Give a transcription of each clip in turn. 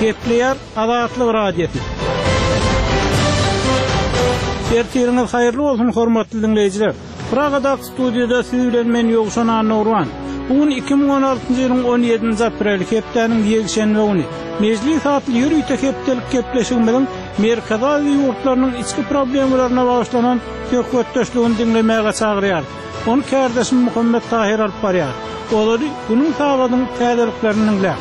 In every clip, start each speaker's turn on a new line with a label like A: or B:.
A: Gepleýär Azatlyk Radiosy. Ertiriňiz haýyrly bolsun, hormatly diňleýjiler! Pragadaky studiýada siz bilen men Ýowşan Annagurban. Bu gün 2016-njy ýylyň 17-nji apreli, hepdäniň ýekşenbe güni. Mejlis atly ýörite hepdelik gepleşigimiziň Merkezi Aziýa ýurtlarynyň içki problemalaryna bagyşlanan söhbetdeşligini diňlemäge çagyrýarys. Ony kärdeşim Muhammet Tahyr alyp barýar. Ozaly günüň sagadyň täzeliklerini diňläň.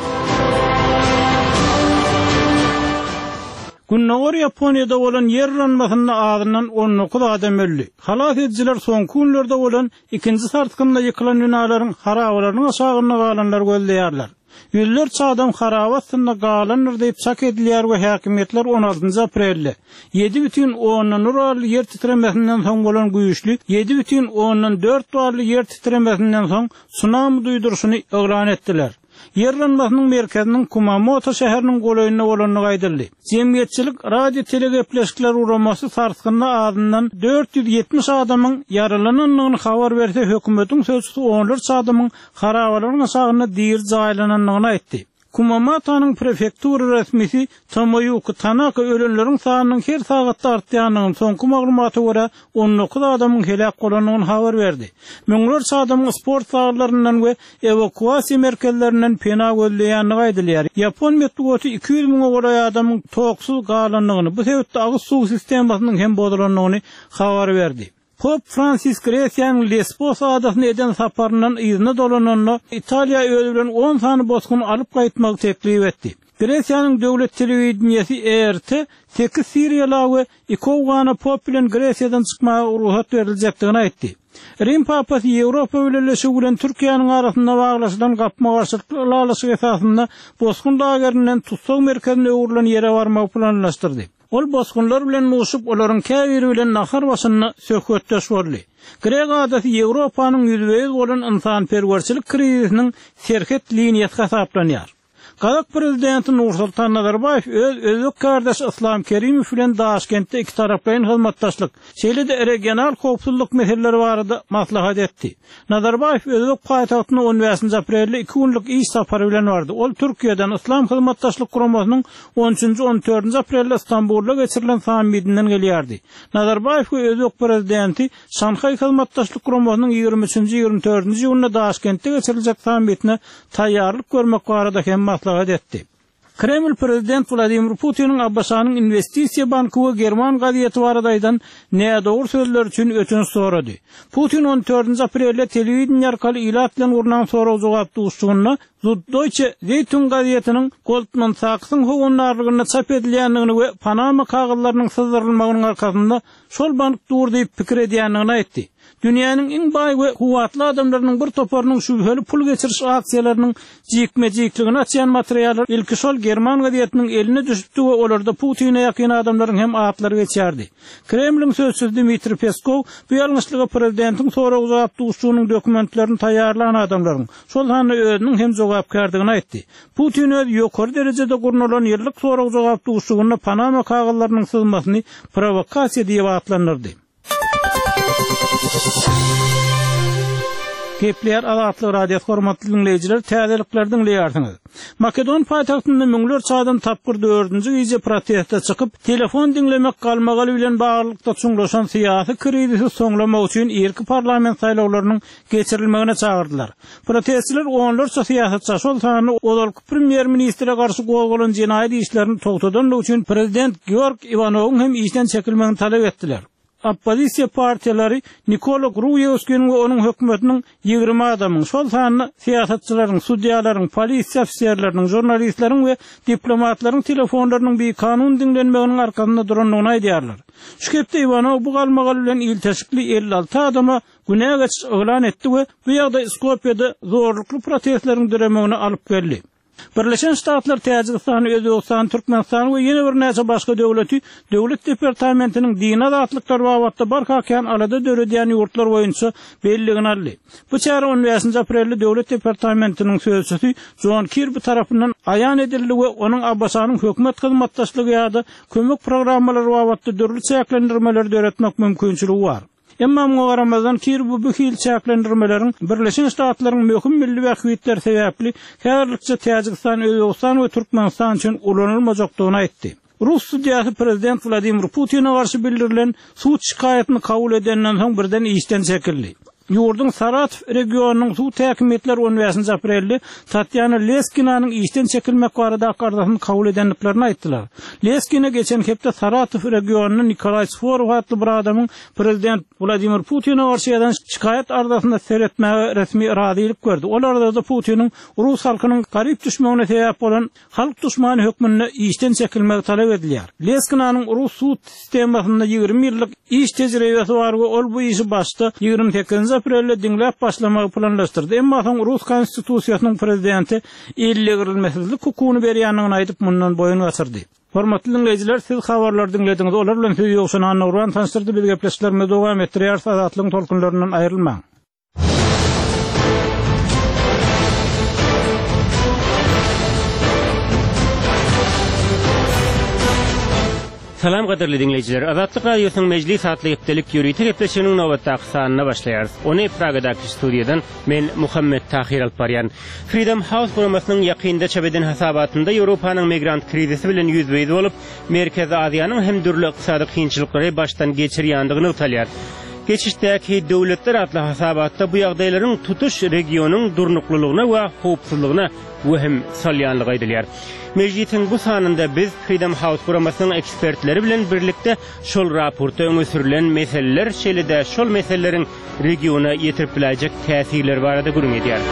A: Gündogar Ýaponiýada bolan ýer yranmasynda azyndan 19 adam öldi. Halas edijiler soňky günlerde bolan ikinji sarsgynda ýykylan binalaryň harabalarynyň aşagynda galanlary gözleýärler. Ýüzlerçe adam haraba astynda galandyr diýip çak edilýär we häkimiýetler on altynjy aprelde, 7,1 bally ýer titremesinden soň bolan güýçli 7,4 bally ýer titremesinden soň sunami duýduryşyny yglan etdiler. Ýer yranmasynyň merkeziniň Kumamoto şäheriniň golaýynda bolandygy aýdyldy. Jemgyýetçilik radio-telegepleşikler guramasy sarsgynda azyndan 470 adamyň ýaralanandygyny habar berse, hökümetiň sözçüsi onlarça adamyň harabalaryň aşagynda diri jaýlanandygyny aýtdy. Kumamatanyň prefektura resmisi Tomoýuki Tanaka ölenleriň sanynyň her sagatda artýandygyny, soňky maglumata görä, 19 adamyň heläk bolandygyny habar berdi. Müňlerçe adamyň sport zallaryndan we ewakuasiýa merkezlerinden pena gözleýändigi aýdylýar. Ýapon metbugaty 200 müňe golaý adamyň toksuz galandygyny, bu sebitde agyz suw sistemasynyň hem bozulandygyny habar berdi. Pop Fransis Gresiýanyň Lesbos adasyna eden saparyndan yzyna dolananda, Italiýa özi bilen on sany bosguny alyp gaýtmagy teklip etdi. Gresiýanyň döwlet telewideniýesi ERT sekiz siriýala we iki owgana pop bilen Gresiýadan çykmaga rugsat beriljekdigini aýtdy. Rim papasy Ýewropa Bileleşigi bilen Türkiýäniň arasynda baglaşylan gapma-garşylykly ylalaşyk esasynda bosgun lagerinden tussag merkezine öwrülen ýere barmagy planlaşdyrdy. Ol bosgunlar bilen duşup, olaryň käbiri bilen nahar başynda söhbetdeş boldy. Grek adasy Ýewropanyň ýüzbe-ýüz bolan ynsanperwerçilik krizisiniň serhet liniýasy hasaplanýar. Gazak prezidenti Nursultan Nazarbaýew öz özbek kärdeşi Yslam Kerimow bilen Daşkentde ikitaraplaýyn hyzmatdaşlyk, şeýle-de regional howpsuzlyk meseleleri barada maslahat etdi. Nazarbaýew özbek paýtagtyna on bäşinji aprelde iki günlük iş sapary bilen bardy. Ol Türkiýeden, Yslam Hyzmatdaşlyk Guramasynyň on üçünji, on dördünji aprelde Stambulda geçirilen sammitinden gelýärdi. Nazarbaýew we özbek prezidenti Şanhaý Hyzmatdaşlyk Guramasynyň ýigrimi üçünji, ýigrimi dördünji iýunda Daşkentde geçiriljek sammitine taýýarlyk görmek barada hem maslahat etdi. Kreml prezident Wladimir Putiniň ABŞ-nyň Inwestisiýa banky we german gazeti barada aýdan nädogry sözleri üçin ötünç sorady. Putin on dördünji aprelde telewideniýe arkaly ilat bilen gurnan sorag-jogap duşuşygynda Zuddeutsche Zeitung gazetiniň Goldman Sachs-yň howandarlygynda çap edilýändigini we Panama kagyzlarynyň syzdyrylmagynyň arkasynda şol bank dur diýip pikir edýändigini aýtdy. Dünýäniň iň baý we kuwwatly adamlarynyň bir toparynyň şübheli pul geçiriş aksiýalarynyň jikme-jikligini açýan materiallar ilki şol german gazetiniň eline düşüpdi we olarda Putine ýakyn adamlaryň hem atlary geçýärdi. Kremliň sözçüsi Dmitriý Peskow bu ýalňyşlyga prezidentiň sorag-jogap duşuşygynyň dokumentlerini taýýarlan adamlaryň, şol sanda özüniň hem jogapkärdigini aýtdy. Putin öz ýokary derejede gurnalan ýyllyk sorag-jogap duşuşygynda Panama kagyzlarynyň syzmasyny prowokasiýa diýip atlandyrdy. Gepleýär Azatlyk Radiosy hormatly diňleýjiler täzelikleri diňleýärsiňiz. Makedon paýtagtynda müňlerçe adam tapgyr dördünji gije proteste çykyp, telefon diňlemek galmagaly bilen baglylykda çuňlaşan syýasy krizisi soňlamak üçin irki parlament saýlawlarynyň geçirilmegine çagyrdylar. Protestçiler onlarça syýasatça, şol sanda ozalky premýer-ministre garşy gozgalan jenaýat işlerini togtadanlygy üçin prezident Georg Iwanowyň hem işden çekilmegini talap etdiler. Oppozisiýa partiýalary Nikola Gruýewskiniň we onuň hökümetiniň 20 adamyň, şol sanda syýasatçylaryň, sudýalaryň, polisiýa ofiserleriniň, žurnalistleriň we diplomatlaryň telefonlarynyň bikanun diňlenmeginiň arkasynda durandygyny aýdýarlar. Şu hepde Iwanow bu galmagal bilen ilteşikli 56 adama günä geçiş yglan etdi we bu ýagdaý Skopýada zorlukly protestleriň döremegine alyp geldi. Birleşen Ştatlar Täjigistany, Özbegistany, Türkmenistany we ýene birnäçe başga döwleti Döwlet departamentiniň dini azatlyklar babatda barha kän alada döredýän ýurtlar boýunça belligine aldy. Bu çäre on bäşinji aprelde Döwlet departamentiniň sözçüsi Jon Kirbi tarapyndan aýan edildi we onuň ABŞ-nyň hökümet hyzmatdaşlygy ýa-da kömek programmalary babatda dürli çäklendirmeleri döretmek mümkinçiligi bar. Emma muňa garamazdan, Kirbi bu hili çäklendirmeleriň Birleşen Ştatlaryň möhüm milli bähbitleri sebäpli häzirlikçe Täjigistan, Özbegistan we Türkmenistan üçin ulanylmajakdygyny aýtdy. Rus sudýasy prezident Wladimir Putine garşy bildirilen sud şikaýatyny kabul edenden soň birden işden çekildi. Ýurduň Saratow regionynyň sud häkimiýetleri on bäşinji aprelde Tatýana Leskinanyň işden çekilmek baradaky arzasyny kabul edendiklerini aýtdylar. Leskina geçen hepde Saratow regionynda Nikolaý Sworow atly bir adamyň prezident Wladimir Putine garşy ýazan şikaýat arzasyna seretmäge resmi razylyk berdi. Ol arzada Putiniň rus halkynyň garyp düşmegine sebäp bolan halk duşmany hökmünde işden çekilmegi talap edilýär. Leskinanyň rus sud sistemasynda 20 ýyllyk iş tejribesi bar we ol bu işi başda 28 aprelde diňläp başlamagy planlaşdyrdy, emma soň rus konstitusiýasynyň prezidente ellegirilmesizlik hukugyny berýändigini aýdyp, mundan boýun gaçyrdy. Hormatly diňleýjiler, siz habarlary diňlediňiz. Olar bilen sizi Ýowşan Annagurban tanyşdyrdy. Biz gepleşiklerimizi dowam etdirýäris. Azatlygyň tolkunlaryndan aýrylmaň.
B: Salam gadyrly diňleýjiler! Azatlyk Radiosynyň Mejlis atly hepdelik ýörite gepleşiginiň nobatdaky sanyna başlaýarys. Ony Pragadaky studiýadan men Muhammet Tahyr alyp barýan. Freedom House guramasynyň ýakynda çap eden hasabatynda Ýewropanyň migrant krizisi bilen ýüzbe-ýüz bolup, Merkezi Aziýanyň hem dürli ykdysady kynçylyklary başdan geçirýändigi nygtalýar. Geçişdäki döwletler atly hasabatda bu ýagdaýlaryň tutuş regionyň durnuklylygyna we howpsuzlygyna wehim salýandygy aýdylýar. Mejlisiň bu sanynda biz Freedom House guramasynyň ekspertleri bilen birlikde şol raportda öňe sürlen meseleler, şeýle-de şol meseleleriň regiona ýetirip biläýjek täsirleri barada gürrüň edýäris.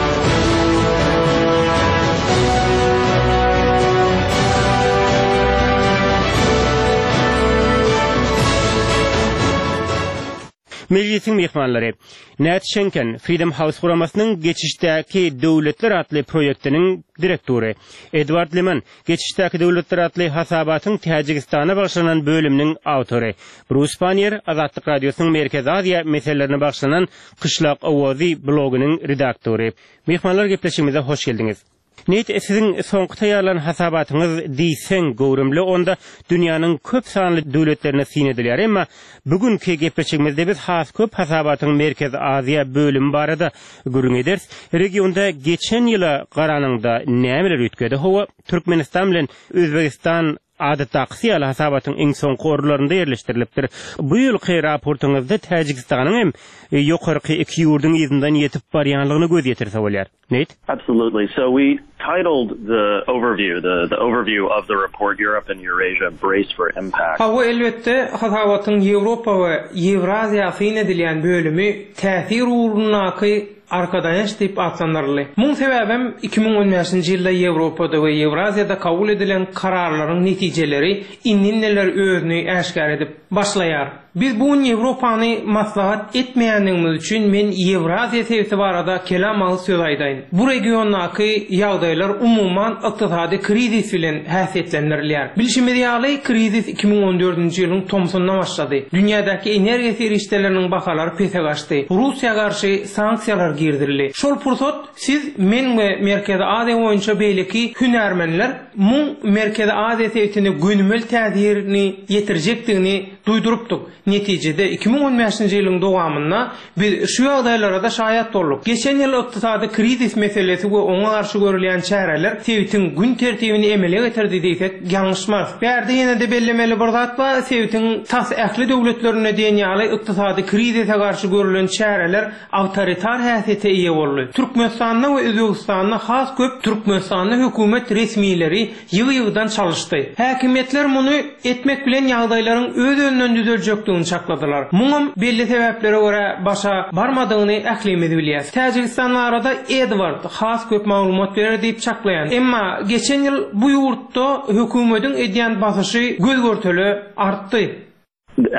B: Mejlisiň myhmanlary, Nat Şenken, Freedom House guramasynyň Geçişdäki döwletler atly proýektiniň direktory, Edward Liman, Geçişdäki döwletler atly hasabatyň Täjigistana bagyşlanan bölüminiň awtory, Brus Panniýer, Azatlyk Radiosynyň Merkezi Aziýa meselelerine bagyşlanan Kyşlak owazy blogynyň redaktory. Myhmanlar gepleşigimize hoş geldiňiz. Neýt, siziň soňky taýýarlan hasabatyňyz diýseň göwrümli, onda dünýäniň köp sanly döwletlerine syn edilýär. Emma bu günki gepleşigimizde biz has köp hasabatyň Merkezi Aziýa bölümi barada gürrüň ederis. Regionda geçen ýyla garanyňda nämeler üýtgedi? Hawa, Türkmenistan bilen Özbegistan adatdakysy ýaly hasabatyň iň soňky orunlarynda ýerleşdirilipdir. Bu ýylky raportyňyzda Täjigistanyň hem ýokarky iki ýurduň yzyndan ýetip barýanlygyna göz ýetirse bolýar. Nate?
C: Absolutely. So we titled the overview, the, the overview of the report Europe and Eurasia Brace for Impact.
D: Hawa, elbetde, hasabatyň Ýewropa we Ýewraziýa syn edilýän bölümi täsir ugrundaky arkadaýanç diýip atlandyryldy. Muň sebäbem 2015-nji ýylda Ýewropada we Ýewraziýada kabul edilen kararlaryň netijeleri indi-indiler özüni äşgär edip başlaýar. Biz bu gün Ýewropany maslahat etmeýändigimiz üçin men Ýewraziýa sebiti barada kelam agyz söz aýdaýyn. Bu regiondaky ýagdaýlar umuman ykdysady krizis bilen häsiýetlendirilýär. Bilşimiz ýaly, krizis 2014-nji ýylyň tomsunda başlady. Dünýädäki energiýa serişdeleriniň bahalary pese gaçdy. Russiýa garşy sanksiýalar girizildi. Şol pursat siz, men we Merkezi Aziýa boýunça beýleki hünärmenler muň Merkezi Aziýa sebitine gönümel täsirini ýetirjekdigini duýdurypdyk. Netijede, 2015-nji ýylyň dowamynda biz şu ýagdaýlara-da şaýat bolduk. Geçen ýyl ykdysady krizis meselesi we oňa garşy görülýän çäreler sebitiň gün tertibini emele getirdi diýsek, ýalňyşmarys. Bärde ýene-de bellemeli bir zat bar, sebitiň tas ähli döwletlerinde diýen ýaly ykdysady krizise garşy görülen çäreler awtoritar häsiýete eýe boldy. Türkmenistanda we Özbegistanda has köp Türkmenistanda hökümet resmileri ýygy-ýygydan çalyşdy. Häkimiýetler muny etmek bilen ýagdaýlaryň öz-özünden düzeljekdigini çakladylar. Muňam belli sebäplere görä başa barmadygyny ählimiz bilýäs. Täjigistan barada Edward has köp maglumat berer diýip çaklaýan. Emma geçen ýyl bu ýurtda hökümediň edýän basyşy göz-görtele artdy.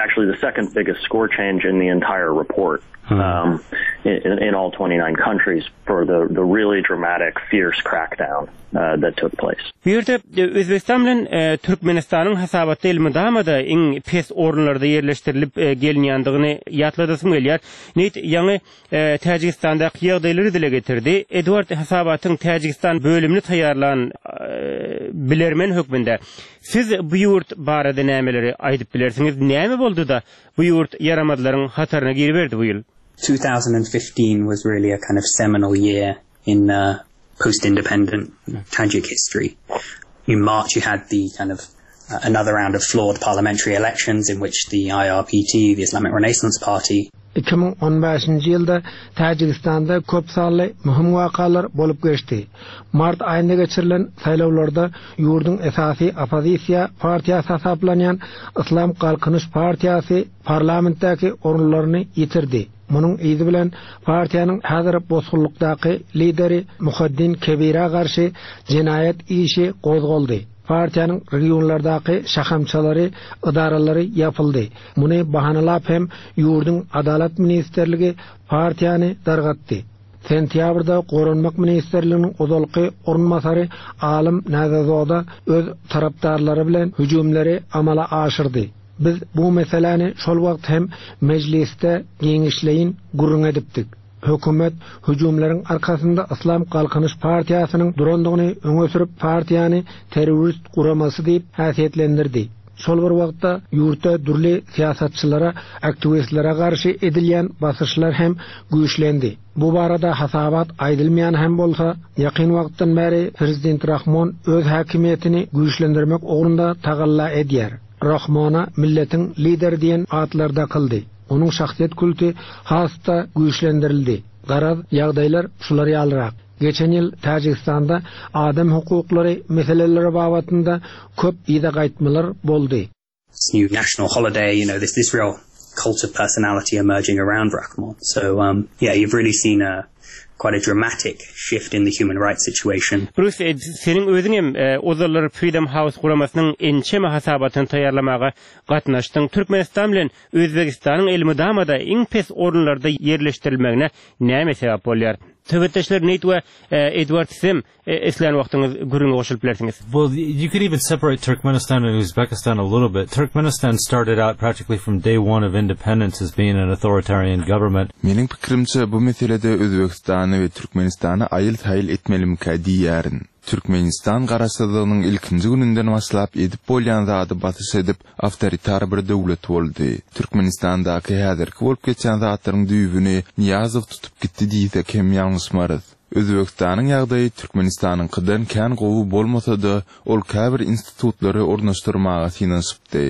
C: Actually the second biggest score change in the entire report. in, in all 29 countries for the, the really dramatic, fierce crackdown uh, that took place.
B: Bu ýerde e, Özbegistan bilen e, Türkmenistanyň hasabatda elmydama-da iň pes orunlarda ýerleşdirilip e, gelinýändigini ýatladasym gelýär. Neýt ýaňy Täjigistandaky ýagdaýlary dile getirdi. Edward hasabatyň Täjigistan bölümini taýýarlan bilermen hökmünde siz bu ýurt barada nämeleri aýdyp bilersiňiz? Näme boldy-da, bu ýurt ýaramazlaryň hataryna giriberdi bu ýyl?
E: 2015 was really a kind of seminal year in uh, post-independent Tajik history. In March you had the kind of uh, another round of flawed parliamentary elections in which the IRPT, the Islamic Renaissance Party,
F: 2015-nji ýylda Täjigistanda köp sanly möhüm wakalar bolup geçdi. Mart aýynda geçirilen saýlawlarda ýurduň esasy oppozisiýa partiýasy hasaplanýan Yslam Galkynyş partiýasy parlamentdäki orunlaryny ýitirdi. Munuň yzy bilen partiýanyň häzir bosgunlykdaky lideri Muhaddin Kebirä garşy jenaýat işi gozgaldy. Partiýanyň regionlardaky şahamçalary, ydaralary ýapyldy. Muny bahanalap hem ýurduň Adalat ministrligi partiýany dargatdy. Sentýabrda Goranmak ministrliginiň ozalky orunbasary Alym Näzezoda öz tarapdarlary bilen hüjümleri amala aşyrdy. Biz bu meseläni şol wagt hem Mejlisde giňişleýin gürrüň edipdik. Hökümet hüjümleriň arkasynda Yslam Galkynyş partiýasynyň durandygyny öňe sürüp, partiýany terrorist guramasy diýip häsiýetlendirdi. Şol bir wagtda, ýurtda dürli syýasatçylara, aktiwistlere garşy edilýän basyşlar hem güýçlendi. Bu barada hasabat aýdylmaýan hem bolsa, ýakyn wagtdan bäri prezident Rahmon öz häkimiýetini güýçlendirmek ugrunda tagalla edýär. Rahmona milletiň lideri diýen atlar dakyldy. Onuň şahsyýet kulty has-da güýçlendirildi. Garaz, ýagdaýlar şular ýalyrak. Geçen ýyl Täjigistanda adam hukuklary meseleleri babatynda köp yza gaýtmalar boldy.
E: This new national holiday, you know, this this real cult of personality emerging around Rakhmon. So, um, yeah, you've really seen a quite a dramatic shift in the human rights situation.
B: Brus, e, seniň özüň hem e, ozallar Freedom House guramasynyň ençeme hasabatyny taýýarlamaga gatnaşdyň. Türkmenistan bilen Özbegistanyň elmydama-da iň pes orunlarda ýerleşdirilmegine näme sebäp bolýar? Söhbetdeşler Neýt we e, Edward sizem islän wagtyňyz gürrüňe goşulyp bilersiňiz.
G: Well, you could even separate Turkmenistan and Uzbekistan a little bit. Turkmenistan started out practically from day one of independence as being an authoritarian government.
H: Meniň pikirimçe, bu meselede Özbegistany we Türkmenistany aýyl-saýyl etmelimkä diýýärin. Türkmenistan garaşsyzlygynyň ilkinji gününden başlap edip bolýan zady basyş edip, awtoritar bir döwlet boldy. Türkmenistandaky häzirki bolup geçýän zatlaryň düýbüni Nyýazow tutup gitdi diýsek hem ýalňyşmarys. Özbegistanyň ýagdaýy Türkmenistanyňkydan kän gowy bolmasa-da, ol käbir institutlary ornaşdyrmaga synanyşypdy.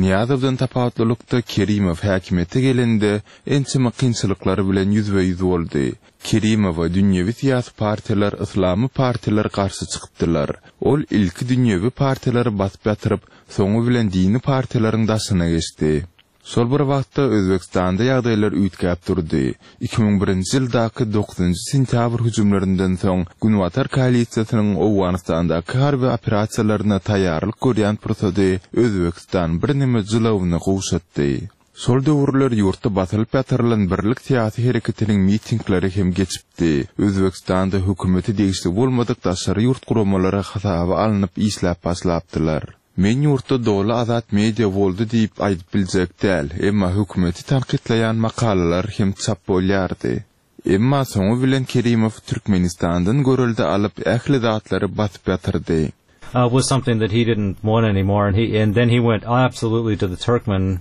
H: Nyýazowdan tapawutlylykda Kerimow häkimiýete gelende ençeme kynçylyklar bilen ýüzbe-ýüz boldy. Kerimowa dünýewi syýasy partiýalar, yslamy partiýalar garşy çykypdylar. Ol ilki dünýewi partiýalary basyp ýatyryp, soňy bilen dini partiýalaryň daşyna geçdi. Şol bir wagtda Özbegistanda ýagdaýlar üýtgäp durdy. 2001-nji ýyldaky dokuzynjy sentýabr hüjümlerinden soň Günbatar koalisiýasynyň Owganystandaky harby operasiýalaryna taýýarlyk görýän pursady Özbegistan birneme jylawyny gowşatdy. Şol döwürler ýurtda basylyp ýatyrylan Birlik syýasy hereketiniň mitingleri hem geçipdi. Özbegistanda hökümete degişli bolmadyk daşary ýurt guramalary hasaba alnyp işläp başlapdylar. Men ýurtda doly azat media boldy diýip aýdyp biljek däl, emma hökümeti tankytlaýan makalalar hem çap bolýardy. Emma soňy bilen Kerimow Türkmenistandan görelde alyp ähli zatlary basyp ýatyrdy.
G: Uh, was something that he didn't want anymore and he and then he went absolutely to the Turkmen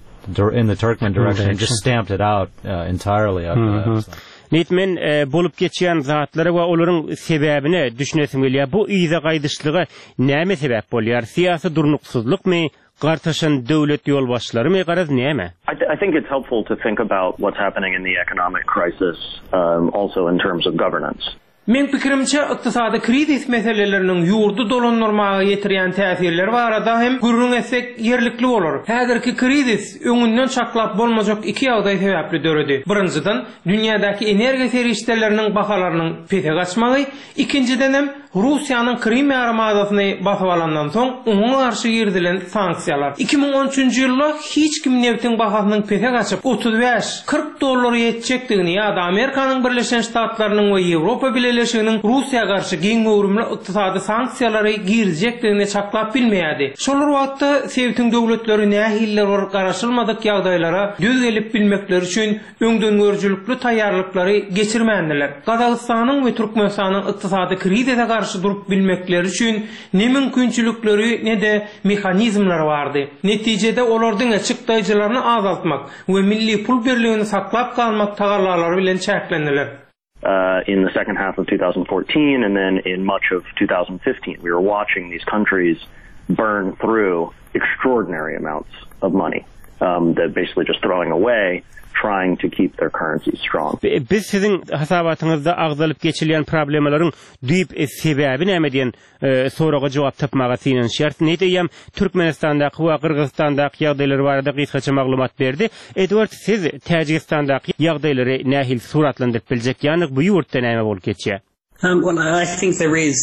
G: in the Turkmen direction and just stamped it out uh, entirely after mm -hmm. that. So.
B: Neyt men e, bolup geçýän zatlara we olaryň sebäbine düşünesim gelýär. Bu yza gaýdyşlyga näme sebäp bolýar? Syýasy durnuksyzlykmy, gartaşan döwlet ýolbaşçylarymy, garaz näme?
C: I, th I think it's helpful to think about what's happening in the economic crisis um, also in terms of governance.
D: Meň pikirimçe, ykdysady krizis meseleleriniň ýurdy dolandyrmaga ýetirýän täsirleri barada hem gürrüň etsek ýerlikli bolar. Häzirki krizis öňünden çaklap bolmajak iki ýagdaý sebäpli döredi. Birinjiden, dünýädäki energiýa serişdeleriniň bahalarynyň pese gaçmagy, ikinjidenem, Russiýanyň Krym ýarymadasyny basyp alandan soň oňa garşy girizilen sanksiýalar. 2013-nji ýylda hiç kim nebtiň bahasynyň pese gaçyp, 35, 40 dollara ýetjekdigini ýa-da Amerikanyň Birleşen Ştatlarynyň we Ýewropa Bileleşiginiň Russiýa garşy giň göwrümli ykdysady sanksiýalary girizjekdigini çaklap bilmeýärdi. Şol bir wagtda, sebitiň döwletleri nähilidir bir garaşylmadyk ýagdaýlara döz gelip bilmekleri üçin öňdengörüjilikli taýýarlyklary geçirmändiler. Gazagystanyň we Türkmenistanyň ykdysady krizise garşy durup bilmekleri üçin ne mümkinçilikleri, ne-de mehanizmleri bardy. Netijede, olar diňe çykdaýjylaryny azaltmak we milli pul birligini saklap galmak tagallalary bilen çäklendiler.
C: In the second half of 2014 and then in much of 2015 we were watching these countries burn through extraordinary amounts of money um, that basically just throwing away trying to keep their currencies strong.
B: Biz siziň hasabatyňyzda agzalyp geçilýän problemalaryň düýp sebäbi näme diýen soraga jogap tapmaga synanyşýarys. Ned eýýäm Türkmenistandaky we Gyrgyzystandaky ýagdaýlar barada gysgaça maglumat berdi. Edward, siz Täjigistandaky ýagdaýlary nähili suratlandyryp biljek? Ýagny bu ýurtda näme bolup geçýär?
E: Well, I think there is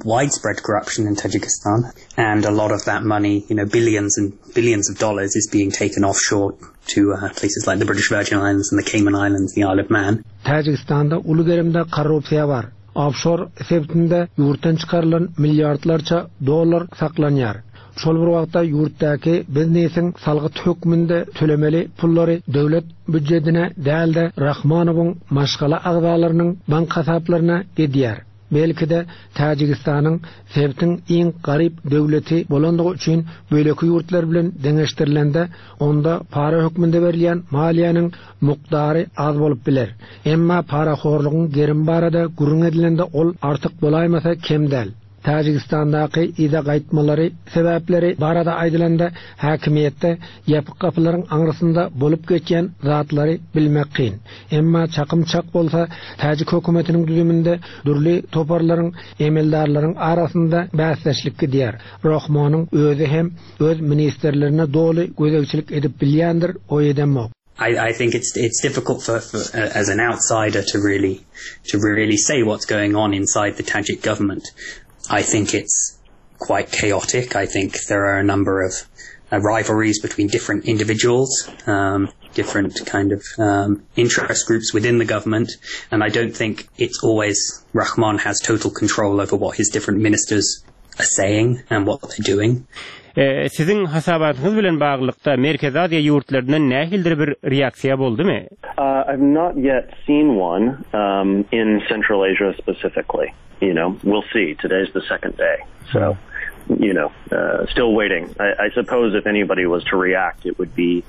E: widespread corruption in Tajikistan and a lot of that money, you know, billions and billions of dollars is being taken offshore to places like the British Virgin Islands and the Cayman Islands, the Isle of Man.
F: Täjigistanda uly gerimde korrupsiýa bar. Ofşor sebitinde ýurtdan çykarylan milliardlarça dollar saklanýar. Şol bir wagtda ýurtdaky biznesiň salgyt hökmünde tölemeli pullary döwlet býujedine däl-de Rahmanowyň maşgala agzalarynyň bank hasaplaryna gidýär. Belki-de, Täjigistanyň sebitiň iň garyp döwleti bolandygy üçin beýleki ýurtlar bilen deňeşdirilende onda para hökmünde berilýän maliýäniň mukdary az bolup biler. Emma parahorlugyň gerimi barada gürrüň edilende ol artyk bolaýmasa kem däl. Täjigistandaky yza gaýtmalary sebäpleri barada aýdylanda häkimiýetde ýapyk gapylaryň aňrysynda bolup geçýän zatlary bilmek kyn. Emma çakym çak bolsa täjik hökümetiniň düzüminde dürli toparlaryň, emeldarlaryň arasynda bäsdeşlik gidýär. Rahmonyň özi hem öz ministrlerine doly gözegçilik edip bilýändir oý edemok.
E: I I think it's it's difficult for, for uh, as an outsider to really to really say what's going on inside the Tajik government. I think it's quite chaotic. I think there are a number of uh, rivalries between different individuals, um, different kind of um, interest groups within the government, and I don't think it's always Rahman has total control over what his different ministers are saying and what they're doing.
B: Siziň hasabatyňyz bilen baglylykda Merkezi Aziýa ýurtlaryndan nähilidir bir reaksiýa boldumy?
C: I've not yet seen one in Central Asia specifically. You know, we'll see. Today's the second day. So, you know, still waiting. I, I suppose if anybody was to react, it would be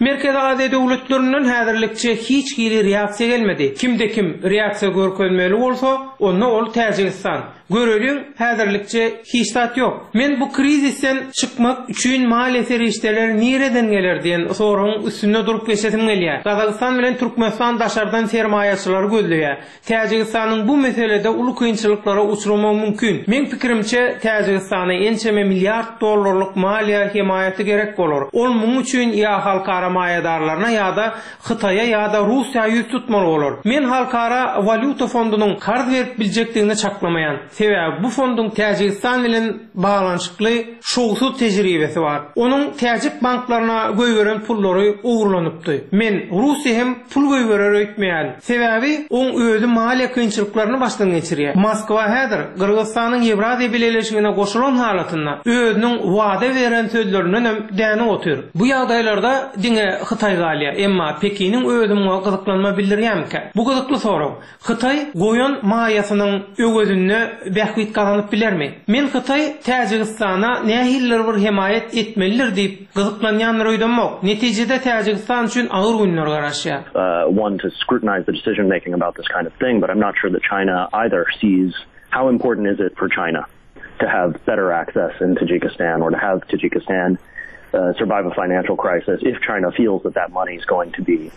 D: Merkezi Aziýa döwletlerinden häzirlikçe hiç hili reaksiýa gelmedi. Kimde-kim reaksiýa görkezmeli bolsa, onda ol Täjigistan. Göreliň, häzirlikçe hiç zat ýok. Men bu krizisden çykmak üçin maliýe serişdeleri nireden geler diýen soragyň üstünde durup geçesim gelýär. Gazagystan bilen Türkmenistan daşardan sermaýaçylary gözleýär. Täjigistanyň bu meselede uly kynçylyklara uçramagy mümkin. Meň pikirimçe, Täjigistana ençeme milliard dollarlyk maliýe hemaýaty gerek bolar. Ol muň üçin ýa halkara maýadarlaryna ýa-da Hytaýa ýa-da Russiýa ýüz tutmaly bolar. Men Halkara walýuta fondunyň karz berip biljekdigini çaklamaýan. Sebäbi bu fonduň Täjigistan bilen baglanyşykly şowsuz tejribesi bar. Onuň täjik banklaryna goýberen pullary ogurlanypdy. Men Russiýa hem pul goýberer öýtmeýärin. Sebäbi oň özi maliýe kynçylyklaryny başdan geçirýär. Moskwa häzir Gyrgyzystanyň Ýewraziýa Bileleşigine goşulan halatynda özüniň wada beren sözlerindenem dänip otyr. Bu ýagdaýlarda diňe Hytaý galýar. Emma Pekiniň özi muňa gyzyklanma bildirýärmikä? Bu gyzykly sorag. Hytaý goýan maýasynyň öwezinde bähbit gazanyp bilermi? Men Hytaý Täjigistana nähilidir bir hemaýat etmelidir diýip gyzyklanýandyr öýdemok. Netijede Täjigistan üçin agyr günler garaşýar.
C: one to scrutinize the decision making about this kind of thing, but I'm not sure that China either sees how important is it for China to have better access in Tajikistan or to have Tajikistan uh, survive a financial crisis if China feels that that money is going to be.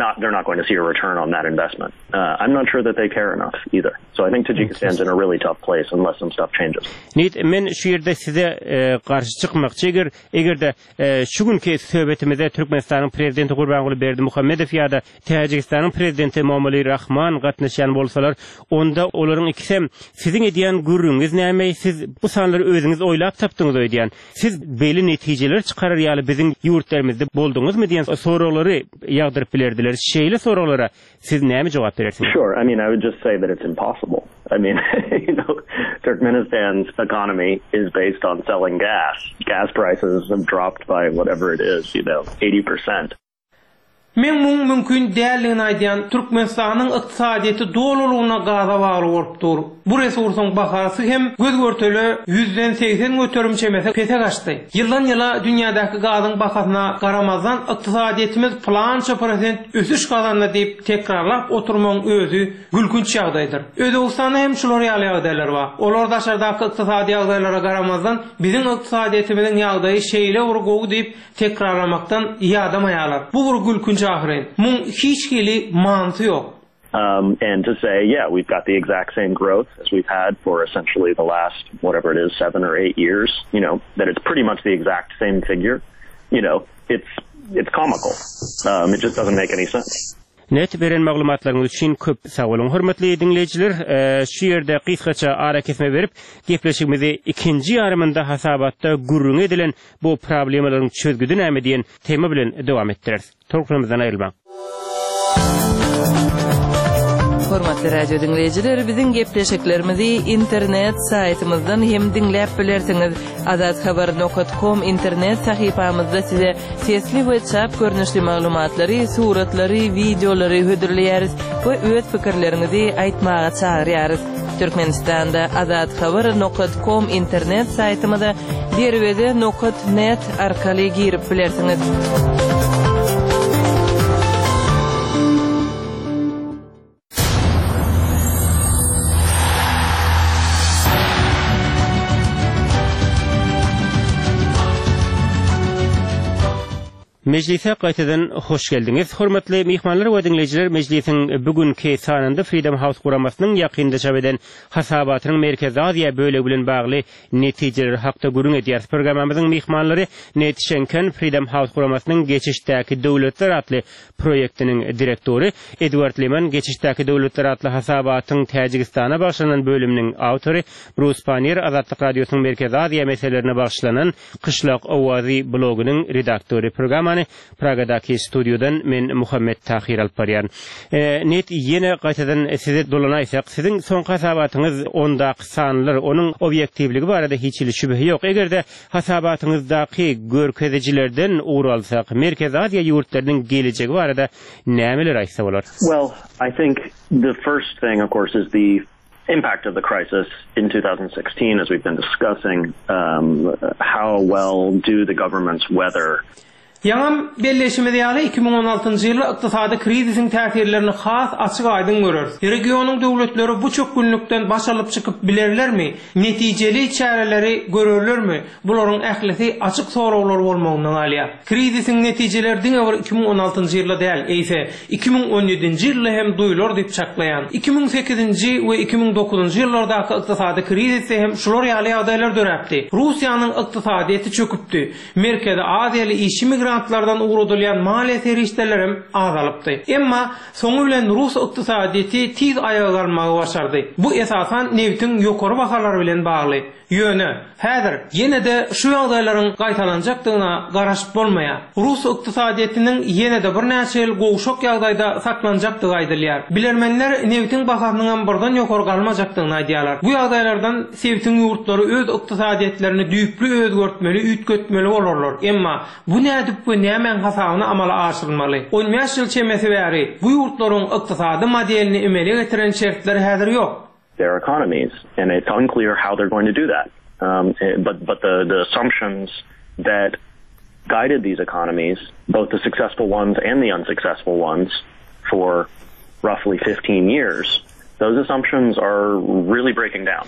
C: Not they're not going to see a return on that investment. Uh, I'm not sure that they care enough either. So I think Tajikistan's in a really tough place unless some stuff changes.
B: Nit men şu ýerde size e, garşy çykmakçy eger eger-de e, şu günki söhbetimize Türkmenistanyň prezidenti Gurbanguly Berdimuhamedow ýa-da Täjigistanyň prezidenti Emomali Rahman gatnaşýan bolsalar, onda olaryň ikisem siziň edýän gürrüňiňiz näme, siz bu sanlary özüňiz oýlap tapdyňyz öýdýän. Siz beýle netijeleri çykarar ýaly biziň ýurtlarymyzda bolduňyzmy diýen soraglary ýagdyryp bilerdiler. Şeýle soraglara siz näme jogap berersiňiz?
C: Sure, I mean, I would just say that it's impossible. I mean, you know, Turkmenistan's economy is based on selling gas. Gas prices have dropped by whatever it is, you know, 80%.
D: Men muň mümkin däldigini aýdýan, Türkmenistanyň ykdysadyýeti dolulygyna gaza bagly bolup dur. Bu resursyň bahasy hem göz-görtele ýüzden 80% çemesi pese gaçdy. Ýyldan-ýyla dünýädäki gazyň bahasyna garamazdan ykdysadyýetimiz pylança prosent ösüş gazandy diýip tekrarlap oturmagyň özi gülkünç ýagdaýdyr. Özbegistanda hem şular ýaly ýagdaýlar bar. Olar daşardaky ykdysady ýagdaýlara garamazdan biziň ykdysadyýetimiziň ýagdaýy şeýle bir gowy diýip Tekrarlamakdan ýadamaýarlar. Bu bir gülkünç ahyryn. Muň hiç hili manysy ýok.
C: Um, and to say, yeah, we've got the exact same growth as we've had for essentially the last, whatever it is, seven or eight years, you know, that it's pretty much the exact same figure, you know, it's, it's comical. Um, it just doesn't make any sense.
B: Net beren maglumatlaryňyz üçin köp sag boluň. Hormatly diňleýjiler, şu ýerde gysgaça arakesme berip, gepleşigimizi ikinji ýarymynda hasabatda gürrüňi edilen bu problemalaryň çözgüdi näme diýen tema bilen dowam etdireris. Tolkunymyzdan aýrylmaň.
I: Hormatly radio diňleýjiler, biziň gepleşiklerimizi internet saýtymyzdan hem diňläp bilersiňiz. Azathabar nokat kom internet sahypamyzda size sesli we çap görnüşli maglumatlary, suratlary, wideolary hödürleýäris we öz pikirleriňizi aýtmaga çagyrýarys. Türkmenistanda Azathabar nokat kom internet saýtymyza derweze nokat net arkaly girip bilersiňiz.
B: Mejlise gaýtadan hoş geldiňiz. Hormatly myhmanlar we diňleýjiler, mejlisiň bu günki sanynda Freedom House guramasynyň ýakynda çap eden hasabatynyň Merkezi Aziýa bölegi bilen bagly netijeleri hakda gürrüň edýäris. Programmamyzyň myhmanlary Ned Şenken, Freedom House guramasynyň Geçişdäki döwletler atly proýektiniň direktory, Edward Liman, Geçişdäki döwletler atly hasabatyň Täjigistana bagyşlanan bölüminiň awtory, Brus Pannier, Azatlyk Radiosynyň Merkezi Aziýa meselelerine bagyşlanan Kyşlak owazy blogynyň redaktory. Programmany Pragadaky studiýadan men Muhammet Tahyr alyp barýaryn. Net ýene gaýtadan size dolanaýsak, siziň soňky hasabatyňyz ondaky sanlar, onuň obýektiwligi barada hiç hili şübhe ýok. Eger-de hasabatyňyzdaky görkezijilerden ugur alsak, Merkezi Aziýa ýurtlarynyň gelejegi barada nämeler aýtsa bolar?
C: Well, I think the first thing, of course, is the impact of the crisis in 2016, as we've been discussing, um, how well do the governments weather
D: Ýaňam belleýşimiz ýaly, 2016-njy ýylda ykdysady krizisiň täsirlerini has açyk-aýdyň göreris. Regionyň döwletleri bu çökgünlikden baş alyp çykyp bilerlermi, netijeli çäreleri görerlermi, bularyň ählisi açyk soraglar bolmagynda galýar. Krizisiň netijeleri diňe bir 2016-njy ýylda däl, eýse, 2017-nji ýylda hem duýlar diýip çaklaýan. 2008-nji we 2009-njy ýyllardaky ykdysady krizisde hem şular ýaly ýagdaýlar döräpdi. Russiýanyň ykdysadyýeti çöküpdi. Merkezi Aziýaly işçi migrantlardan ugradylýan maliýe serişdelerem azalypdy. Emma soňy bilen rus ykdysadyýeti tiz aýaga galmagy başardy. Bu esasan nebitiň ýokary bahalary bilen bagly. Ýöne, häzir ýene-de şu ýagdaýlaryň gaýtalanjakdygyna garaşyp bolmaýar. Rus ykdysadyýetiniň ýene-de birnäçe ýyl gowşak ýagdaýda saklanjakdygy aýdylýar. Bilermenler nebitiň bahasynyňam birden ýokary galmajakdygyny aýdýarlar. Bu ýagdaýlardan Sebitiň ýurtlary öz ykdysadyýetlerini düýpli özgertmeli, üýtgetmeli bolarlar. Emma bu nädip we nämäň hasabyna amala aşyrylmaly? On bäş ýyl çemesi bäri bu ýurtlaryň ykdysady modelini emele getiren şertler häzir ýok.
C: their economies and it's unclear how they're going to do that. Um, but but the the assumptions that guided these economies, both the successful ones and the unsuccessful ones, for roughly 15 years. Those assumptions are really breaking down.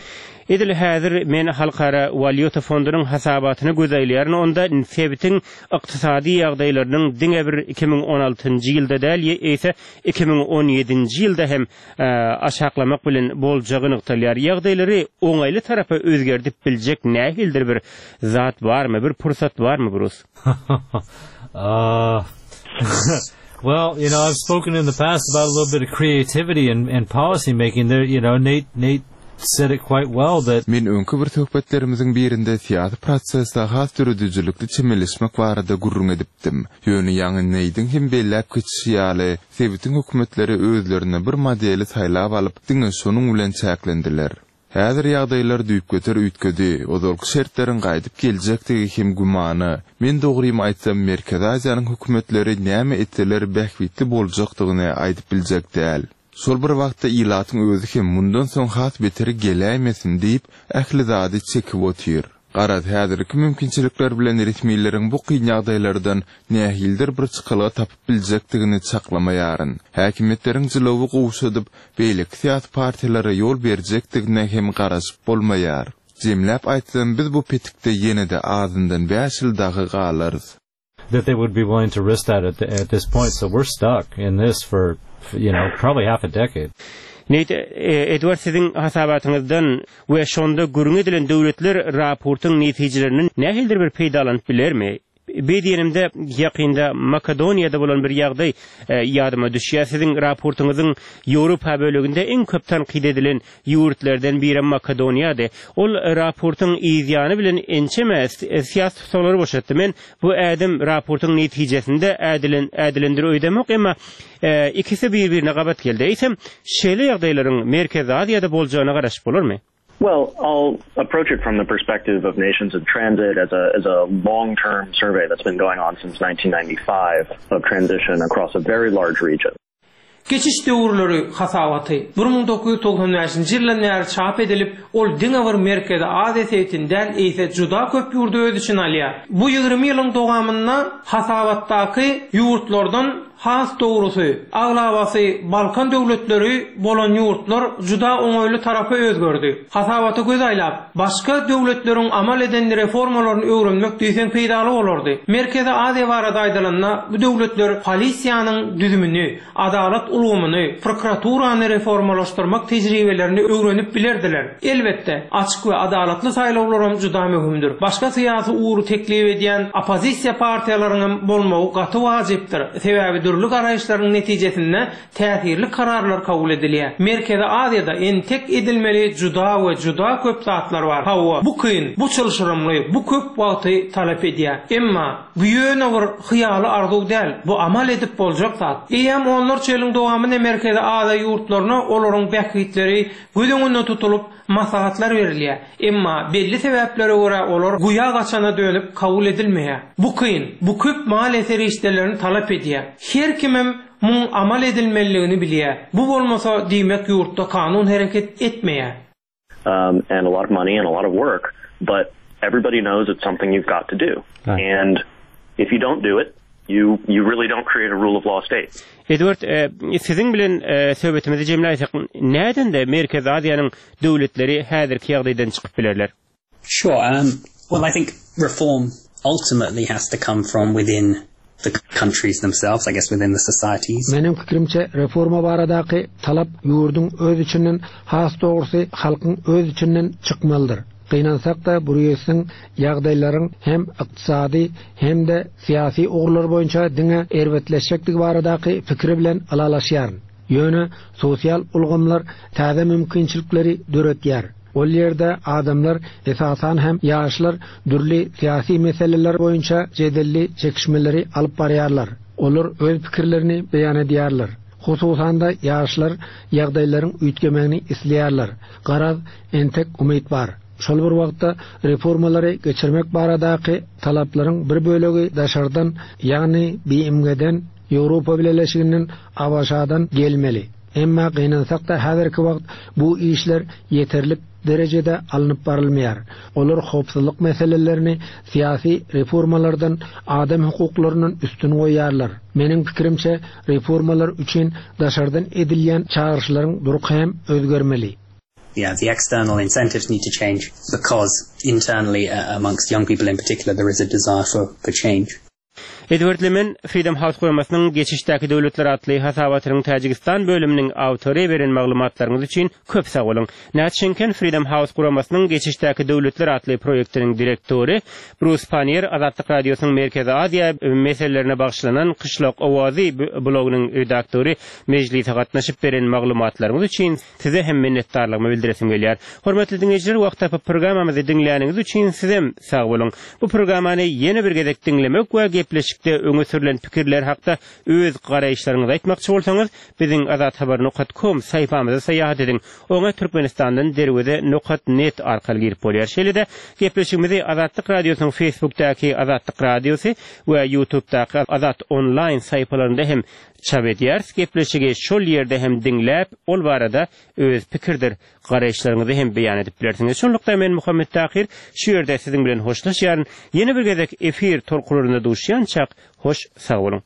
B: Edil häzir men Halkara walýuta fondunyň hasabatyna göz aýlaýaryn, onda sebitiň ykdysady ýagdaýlarynyň diňe bir 2016-njy ýylda däl, eýse 2017-nji ýylda hem aşaklamak bilen boljagy nygtalýar. Ýagdaýlary oňaýly tarapa özgerdip biljek nähilidir bir zat barmy, bir pursat barmy, Brus?
G: Uh, well, you know, I've spoken in the past about a little bit of creativity and, and policy making. There, you know, Nate Nate said it quite well that
H: Men öňki bir söhbetlerimiziň birinde syýasy prosese has döredijilikli çemeleşmek barada gürrüň edipdim. Ýöne ýaňy Neýdiň hem belläp geçişi ýaly, sebitiň hökümetleri özlerine bir modeli saýlap alyp, diňe şonuň bilen çäklendiler. Häzir ýagdaýlar düýpgöter üýtgedi, ozalky şertleriň gaýdyp geljekdigi hem gümana. Men dogrymy aýtsam, Merkezi Aziýanyň hökümetleri näme etseler bähbitli boljakdygyny aýdyp biljek däl. Şol bir wagtda ilatyň özi hem mundan soň has beteri geläýmesin diýip, ähli zady çekip otyr. Garaz, häzirki mümkinçilikler bilen resmileriň bu kyn ýagdaýlardan nähilidir bir çykalga tapyp biljekdigini çaklamaýaryn. Häkimiýetleriň jylawy gowşadyp, beýleki syýasy partiýalara ýol berjekdigine hem garaşyp bolmaýar. Jemläp aýtsam, biz bu petikde ýene-de azyndan bäş ýyl dagy galarys.
G: That they would be willing to risk that at, the, at this point. So we're stuck in this for, you know, probably half a decade.
B: Nate, e, Edward siziň hasabatyňyzdan we şonda gürrüň edilen döwletler raportyň netijelerinden nähilidir bir peýdalanyp bilermi? Beý diýenimde, ýakynda Makedoniýada bolan bir ýagdaý e, ýadyma düşýär. Siziň raportyňyzyň Ýewropa böleginde iň köp tankyt edilen ýurtlardan birem Makedoniýady. Ol raportyň yz ýany bilen ençeme syýasy tussaglary boşatdy. Men bu ädim raportyň netijesinde ädilen ädilendir öýdemok, emma ikisi bir-birine gabat geldi. Eýsem, şeýle ýagdaýlaryň Merkezi Aziýada boljagyna garaşyp bolarmy?
C: Well, I'll approach it from the perspective of Nations in Transit as a as a long-term survey that's been going on since 1995 of transition across a very large region.
D: Geçiş döwürleri hasabaty 1995-nji ýyldan bäri çap edilip, ol diňe bir Merkezi Aziýa sebitini däl, eýse juda köp ýurdy öz içine alýar. Bu 20 ýylyň dowamynda hasabatdaky ýurtlardan has dogrusy, aglabasy Balkan döwletleri bolan ýurtlar juda oňaýly tarapa özgerdi. Hasabata göz aýlap, başga döwletleriň amal eden reformalaryny öwrenmek diýseň peýdaly bolardy. Merkezi Aziýa barada aýdylanda, bu döwletler polisiýanyň düzümini, adalat ulgamyny, prokuraturany reformalaşdyrmak tejribelerini öwrenip bilerdiler. Elbetde, açyk we adalatly saýlawlaram juda möhümdir. Başga syýasy ugry teklip edýän oppozisiýa partiýalaryňam bolmagy gaty wajypdyr, sebäbi dürli garaýyşlaryň netijesinde täsirli kararlar kabul edilýär. Merkezi Aziýada entek edilmeli juda we juda köp zatlar bar. Hawa, bu kyn, bu çylşyrymly, bu köp wagty talap edýär. Emma, bu ýöne bir hyýaly arzuw däl, bu amal edip boljak zat. Eýýäm onlarça ýylyň dowamynda Merkezi Aziýa ýurtlaryna olaryň bähbitleri göz öňünde tutulyp, maslahatlar berilýär. Emma belli sebäplere görä olar guýa gaçana dönüp kabul edilmeýär. Bu kyn, bu köp maliýe serişdelerini talap edýär. Her kimem Muň amal edilmeliligini bilýär. Bu bolmasa, diýmek ýurtda kanun hereket etmeýär.
C: Um, and a lot of money and a lot of work, but everybody knows it's something you've got to do. Right. And if you don't do it, you you really don't create a rule of law state.
B: Edward, e, siziň bilen e, söhbetimizi jemläýsek, nädende Merkezi Aziýanyň döwletleri häzirki ýagdaýdan çykyp bilerler?
E: Sure. Um, well, I think reform ultimately has to come from within the countries themselves, I guess within the societies.
F: Meniň pikirimçe, reforma baradaky talap ýurduň öz içinden, has dogrusy, halkyň öz içinden çykmalydyr. Gynansak-da, Brýussiň ýagdaýlaryň hem ykdysady, hem-de syýasy ugurlar boýunça diňe erbetleşjekdigi baradaky pikiri bilen ylalaşýaryn. Ýöne sosial ulgamlar täze mümkinçilikleri döretýär. Ol ýerde adamlar, esasan hem ýaşlar dürli syýasy meseleler boýunça jedelli çekişmeleri alyp barýarlar. Olar öz pikirlerini beýan edýärler. Hususan-da, ýaşlar ýagdaýlaryň üýtgemegini isleýärler. Garaz, entek umyt bar. Şol bir wagtda, reformalary geçirmek baradaky talaplaryň bir bölegi daşardan, ýagny BMG-den, Ýewropa Bileleşiginden, ABŞ-dan gelmeli. Emma gynansak-da häzirki wagt bu işler ýeterlik derejede alnyp barylmaýar. Olar howpsuzlyk meselelerini syýasy reformalardan, adam hukuklaryndan üstün goýýarlar. Meniň pikirimçe, reformalar üçin daşardan edilýän çagyryşlaryň durky hem özgermeli.
E: Yeah, the external incentives need to change because internally amongst young people in particular there is a desire for, for change.
B: Edward Lemen, Freedom House guramasynyň Geçişdäki döwletler atly hasabatynyň Täjigistan bölüminiň awtory beren maglumatlaryňyz üçin köp sag boluň. Nat Şenken, Freedom House guramasynyň Geçişdäki döwletler atly proýektiniň direktory, Brus Panniýer, Azatlyk Radiosynyň Merkezi Aziýa meselelerine bagyşlanan Kyşlak owazy blogynyň redaktory mejlise gatnaşyp beren maglumatlaryňyz üçin Size hem minnetdarlygymy bildiresim gelýär. Hormatly diňleýjiler wagt tapyp programmamyzy diňläniňiz üçin sizem sag boluň. Bu programmany ýene bir gezek diňlemek we gepleşikde öňe sürlen pikirler hakda öz garaýyşlaryňyzy aýtmakçy bolsaňyz biziň azathabar nokat kom saýpamyza saýahat ediň. Oňa Türkmenistandan derweze nokat net arkaly girip bolýar. Şeýle-de gepleşigimizi Azatlyk Radiosynyň Facebookdaky Azatlyk Radiosy we Ýutubdaky Azat Onlaýn saýpalarynda hem Çap edýäris gepleşigi şol ýerde hem diňläp ol barada öz pikirdir garaýyşlaryňyzy hem beýan edip bilersiňiz. Şunlukda men Muhammet Tahyr şu ýerde siziň bilen hoşlaşýaryn. Ýene bir gezek efir tolkunlarynda duşýançak hoş sag boluň.